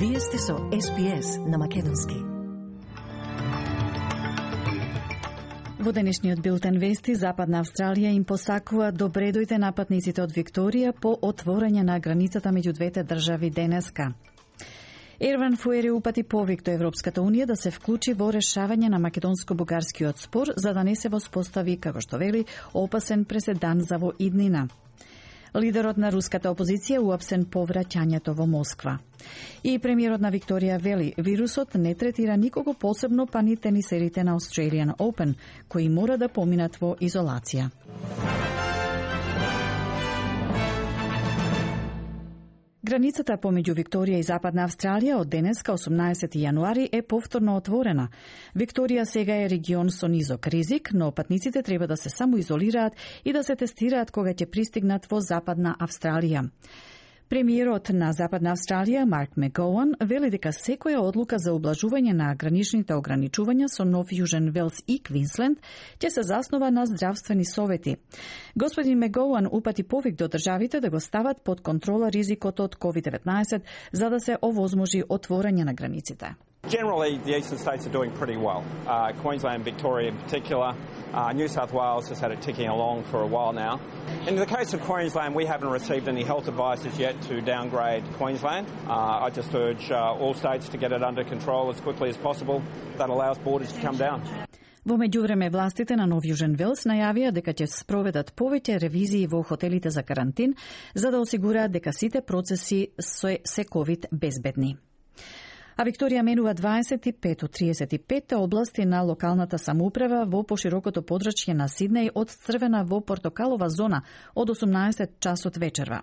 Вие сте со SPS на македонски. Во денешниот билтен вести, Западна Австралија им посакува добре дојде на патниците од Викторија по отворање на границата меѓу двете држави денеска. Ерван Фуери упати повик до Европската Унија да се вклучи во решавање на македонско-бугарскиот спор, за да не се воспостави, како што вели, опасен преседан за во иднина. Лидерот на руската опозиција уапсен по враќањето во Москва. И премиерот на Викторија вели, вирусот не третира никого посебно, па ни тенисерите на Australian Open, кои мора да поминат во изолација. Границата помеѓу Викторија и Западна Австралија од денеска, 18 јануари, е повторно отворена. Викторија сега е регион со низок ризик, но патниците треба да се самоизолираат и да се тестираат кога ќе пристигнат во Западна Австралија. Премиерот на Западна Австралија, Марк Мегоуан, вели дека секоја одлука за ублажување на граничните ограничувања со Нов Јужен Велс и Квинсленд ќе се заснова на здравствени совети. Господин Мегоуан упати повик до државите да го стават под контрола ризикот од COVID-19 за да се овозможи отворање на границите. Generally, the eastern states are doing pretty well. Queensland, Victoria in particular. New South Wales has had it ticking along for a while now. In the case of Queensland, we haven't received any health advice as yet to downgrade Queensland. I just urge all states to get it under control as quickly as possible. That allows borders to come down. Во меѓувреме, властите на Нов Јужен Велс најавија дека ќе спроведат повеќе ревизии во хотелите за карантин за да осигураат дека сите процеси се ковид безбедни. А Викторија менува 25 од 35 области на локалната самоуправа во поширокото подрачје на Сиднеј од црвена во портокалова зона од 18 часот вечерва.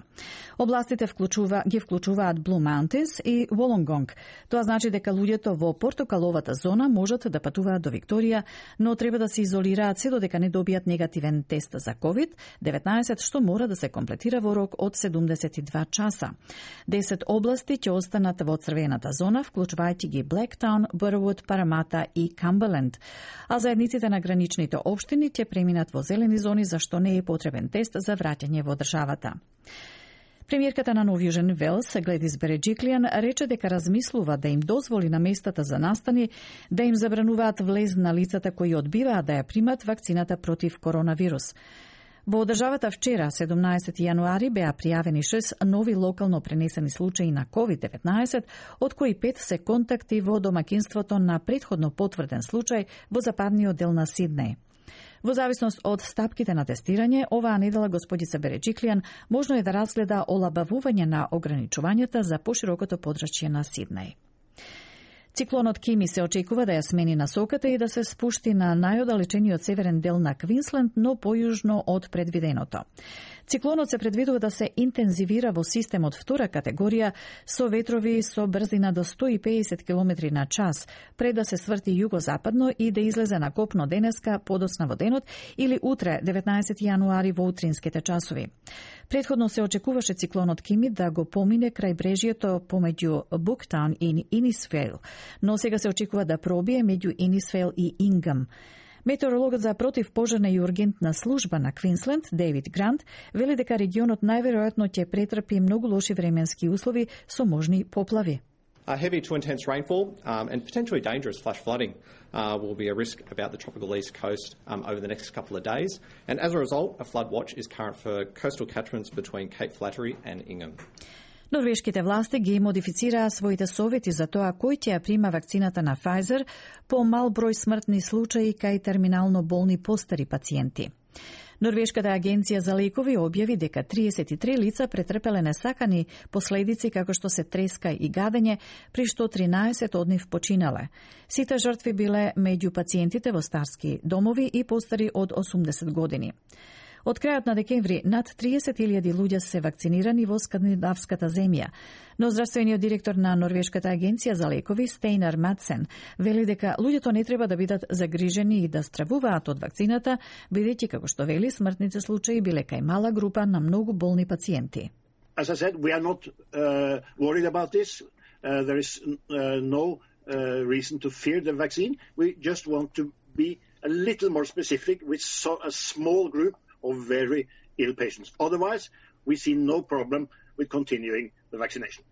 Областите ги вклучуваат Blue Mountains и Wollongong. Тоа значи дека луѓето во портокаловата зона можат да патуваат до Викторија, но треба да се изолираат се додека не добијат негативен тест за COVID-19, што мора да се комплетира во рок од 72 часа. 10 области ќе останат во црвената зона, вклучувајќи ги Блектаун, Бървуд, Парамата и Камберленд. А заедниците на граничните општини ќе преминат во зелени зони за што не е потребен тест за враќање во државата. Премиерката на Нов Јужен Велс, Гледис Береджиклијан, рече дека размислува да им дозволи на местата за настани да им забрануваат влез на лицата кои одбиваат да ја примат вакцината против коронавирус. Во државата вчера, 17 јануари, беа пријавени 6 нови локално пренесени случаи на COVID-19, од кои 5 се контакти во домаќинството на претходно потврден случај во западниот дел на Сиднеј. Во зависност од стапките на тестирање, оваа недела господица Береджиклијан можно е да разгледа олабавување на ограничувањата за поширокото подрачје на Сиднеј. Циклонот Кими се очекува да ја смени насоката и да се спушти на најоддалечениот северен дел на Квинсленд, но појужно од предвиденото. Циклонот се предвидува да се интензивира во систем од втора категорија со ветрови со брзина до 150 км на час, пред да се сврти југозападно и да излезе на копно денеска подоцна во денот или утре, 19 јануари во утринските часови. Предходно се очекуваше циклонот Кими да го помине крај брежјето помеѓу Буктаун и Инисфейл, но сега се очекува да пробие меѓу Инисфейл и Ингам. Метеорологот за противпожарна и ургентна служба на Квинсленд, Дейвид Грант, вели дека регионот најверојатно ќе претрпи многу лоши временски услови со можни поплави. Heavy to intense rainfall and potentially dangerous flash flooding will be a risk about the tropical east coast over the next couple of days. And as a result, a flood watch is current for coastal catchments between Cape Flattery and Ingham. Норвешките власти ги модифицираа своите совети за тоа кој ќе ја прима вакцината на Pfizer по мал број смртни случаи кај терминално болни постари пациенти. Норвешката агенција за лекови објави дека 33 лица претрпеле несакани последици како што се треска и гадење, при што 13 од нив починале. Сите жртви биле меѓу пациентите во старски домови и постари од 80 години. Од крајот на декември над 30.000 луѓе се вакцинирани во скандинавската земја, но здравствениот директор на Норвешката агенција за лекови Стейнар Матсен вели дека луѓето не треба да бидат загрижени и да стравуваат од вакцината, бидејќи како што вели смртните случаи биле кај мала група на многу болни пациенти. As I said, we are not worried about this. There is no reason to fear the vaccine. We just want to be a little more specific with a small group of very ill patients. Otherwise, we see no problem with continuing the vaccination.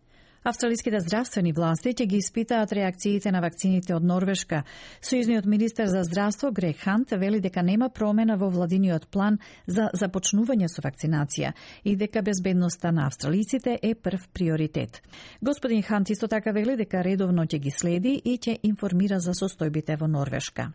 Австралиските здравствени власти ќе ги испитаат реакциите на вакцините од Норвешка. Сојузниот министер за здравство Грег Хант вели дека нема промена во владиниот план за започнување со вакцинација и дека безбедноста на австралиците е прв приоритет. Господин Хант исто така вели дека редовно ќе ги следи и ќе информира за состојбите во Норвешка.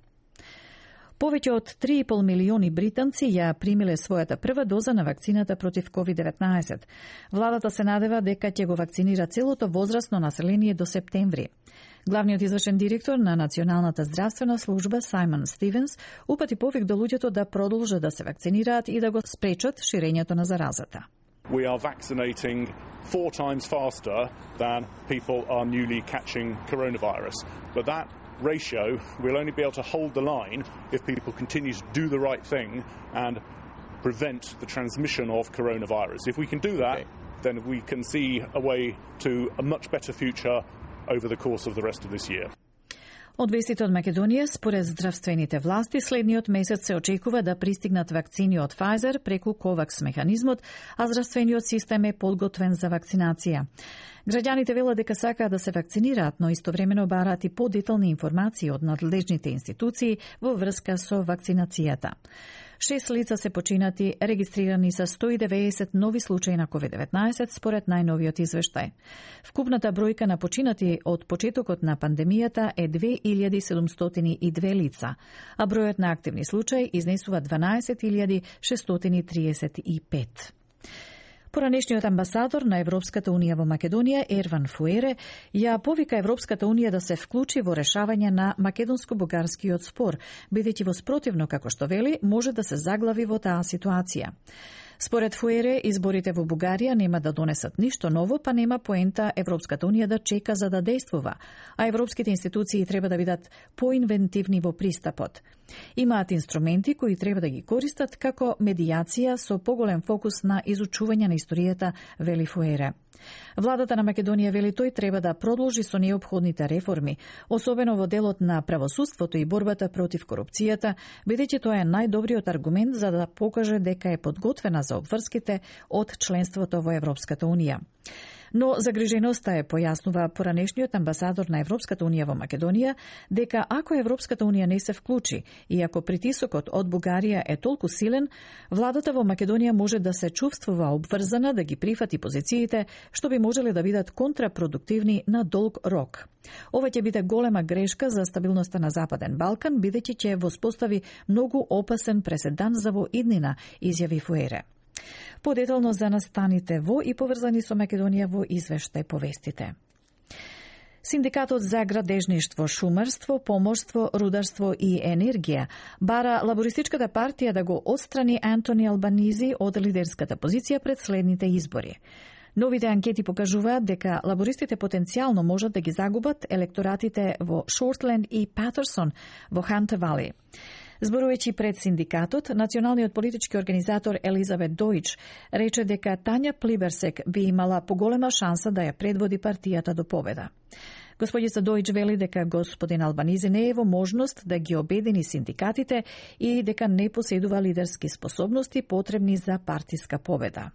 Повеќе од 3,5 милиони британци ја примиле својата прва доза на вакцината против COVID-19. Владата се надева дека ќе го вакцинира целото возрастно население до септември. Главниот извршен директор на Националната здравствена служба Саймон Стивенс упати повик до луѓето да продолжат да се вакцинираат и да го спречат ширењето на заразата. We are vaccinating 4 times faster than people are newly catching coronavirus. But that ratio will only be able to hold the line if people continue to do the right thing and prevent the transmission of coronavirus. If we can do that, then we can see a way to a much better future over the course of the rest of this year. Од вестите од Македонија, според здравствените власти, следниот месец се очекува да пристигнат вакцини од Pfizer преку COVAX механизмот, а здравствениот систем е подготвен за вакцинација. Граѓаните велат дека сакаат да се вакцинираат, но истовремено бараат и подетални информации од надлежните институции во врска со вакцинацијата. 6 лица се починати, регистрирани са 190 нови случаи на COVID-19 според најновиот извештај. Вкупната бројка на починати од почетокот на пандемијата е 2702 лица, а бројот на активни случаи изнесува 12635. Поранешниот амбасадор на Европската Унија во Македонија, Ерван Фуере, ја повика Европската Унија да се вклучи во решавање на македонско-бугарскиот спор, бидејќи во спротивно, како што вели, може да се заглави во таа ситуација. Според Фуере, изборите во Бугарија нема да донесат ништо ново, па нема поента Европската Унија да чека за да действува, а европските институции треба да бидат поинвентивни во пристапот. Имаат инструменти кои треба да ги користат како медијација со поголем фокус на изучување на историјата, вели Фуере. Владата на Македонија вели тој треба да продолжи со неопходните реформи, особено во делот на правосудството и борбата против корупцијата, бидејќи тоа е најдобриот аргумент за да покаже дека е подготвена за обврските од членството во Европската Унија. Но загриженоста е, појаснува поранешниот амбасадор на Европската Унија во Македонија, дека ако Европската Унија не се вклучи и ако притисокот од Бугарија е толку силен, владата во Македонија може да се чувствува обврзана да ги прифати позициите, што би можеле да бидат контрапродуктивни на долг рок. Ова ќе биде голема грешка за стабилноста на Западен Балкан, бидејќи ќе воспостави многу опасен преседан за во иднина, изјави Фуере. Подетално за настаните во и поврзани со Македонија во извештај повестите. Синдикатот за градежништво, шумарство, поморство, рударство и енергија бара лабористичката партија да го отстрани Антони Албанизи од лидерската позиција пред следните избори. Новите анкети покажуваат дека лабористите потенцијално можат да ги загубат електоратите во Шортленд и Патерсон во Хант Вали. Зборувајќи пред синдикатот, националниот политички организатор Елизабет Дојч рече дека Тања Плиберсек би имала поголема шанса да ја предводи партијата до победа. Господица Дојч вели дека господин Албанизи не е во можност да ги обедини синдикатите и дека не поседува лидерски способности потребни за партиска победа.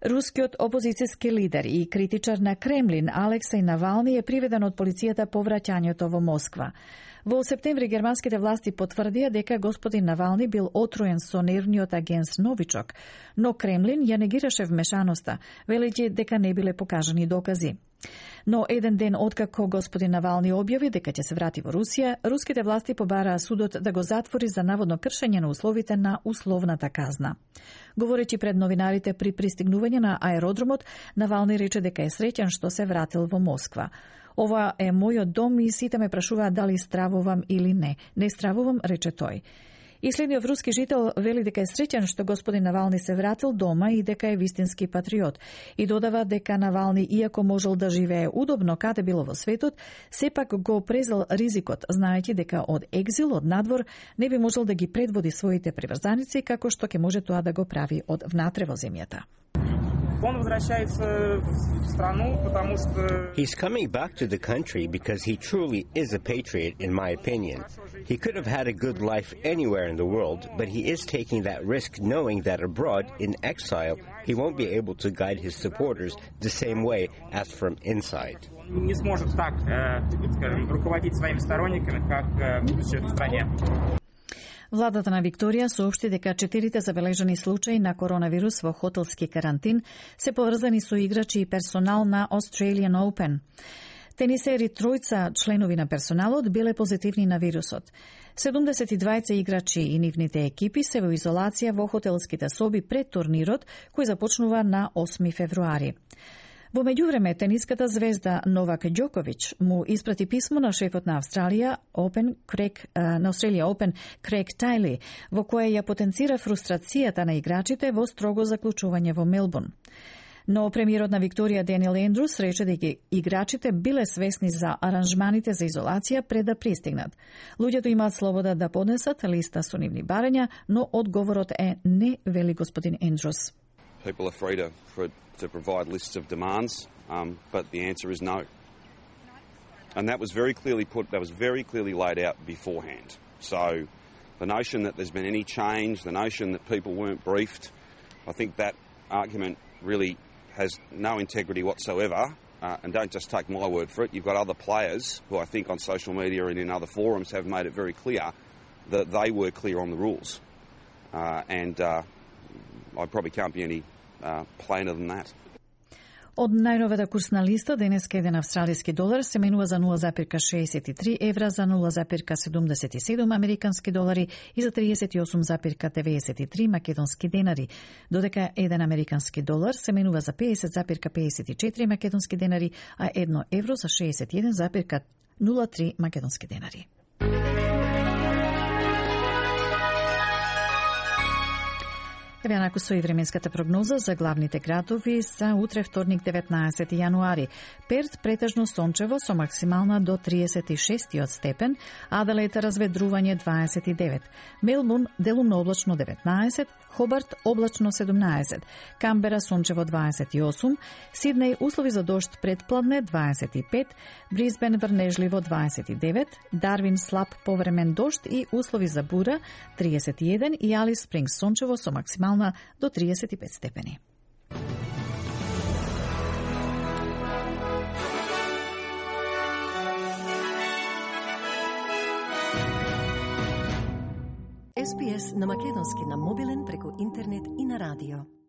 Рускиот опозицијски лидер и критичар на Кремлин Алексеј Навални е приведен од полицијата по враќањето во Москва. Во септември германските власти потврдија дека господин Навални бил отруен со нервниот агенс Новичок, но Кремлин ја негираше вмешаноста, велејќи дека не биле покажани докази. Но еден ден откако господин Навални објави дека ќе се врати во Русија, руските власти побараа судот да го затвори за наводно кршење на условите на условната казна. Говорејќи пред новинарите при пристигнување на аеродромот, Навални рече дека е среќен што се вратил во Москва. Ова е мојот дом и сите ме прашуваат дали стравувам или не. Не стравувам, рече тој. И следниот руски жител вели дека е среќен што господин Навални се вратил дома и дека е вистински патриот. И додава дека Навални, иако можел да живее удобно каде било во светот, сепак го презел ризикот, знаејќи дека од екзил, од надвор, не би можел да ги предводи своите приврзаници, како што ќе може тоа да го прави од внатре во земјата. He's coming back to the country because he truly is a patriot, in my opinion. He could have had a good life anywhere in the world, but he is taking that risk knowing that abroad, in exile, he won't be able to guide his supporters the same way as from inside. Не сможет так, скажем, руководить своими сторонниками, как будучи в стране. Владата на Викторија соопшти дека 4 забележани случаи на коронавирус во хотелски карантин се поврзани со играчи и персонал на Australian Open. Тенисери тројца членови на персоналот биле позитивни на вирусот. 72 играчи и нивните екипи се во изолација во хотелските соби пред турнирот, кој започнува на 8 февруари. Во меѓувреме, тениската звезда Новак Ѓоковиќ му испрати писмо на шефот на Australia Open Крейг Тајли, во кое ја потенцира фрустрацијата на играчите во строго заклучување во Мелбурн. Но премиерот на Викторија Даниел Ендрус рече дека играчите биле свесни за аранжманите за изолација пред да пристигнат. Луѓето имаат слобода да поднесат листа со нивни барања, но одговорот е не, вели господин Ендрус. People are free to provide lists of demands, but the answer is no. And that was very clearly laid out beforehand. So the notion that there's been any change, the notion that people weren't briefed, I think that argument really has no integrity whatsoever. And don't just take my word for it. You've got other players who I think on social media and in other forums have made it very clear that they were clear on the rules. I probably can't be any plainer than that. Од најновата курсна листа, денеска еден австралиски долар се менува за 0,63 евра, за 0,77 американски долари и за 38,93 македонски денари, додека еден американски долар се менува за 50,54 македонски денари, а 1 евро за 61,03 македонски денари. Еве онаку со и временската прогноза за главните градови за утре вторник 19 јануари. Перт претежно сончево со максимална до 36 степен, Аделаид разведрување 29, Мелбурн делумно облачно 19, Хобарт облачно 17, Камбера сончево 28, Сиднеј услови за дожд предпладне 25, Брисбен врнежливо 29, Дарвин слаб повремен дожд и услови за бура 31 и Алис Спрингс сончево со максимална до 35 степени. SPS на македонски на мобилен преку интернет и на радио.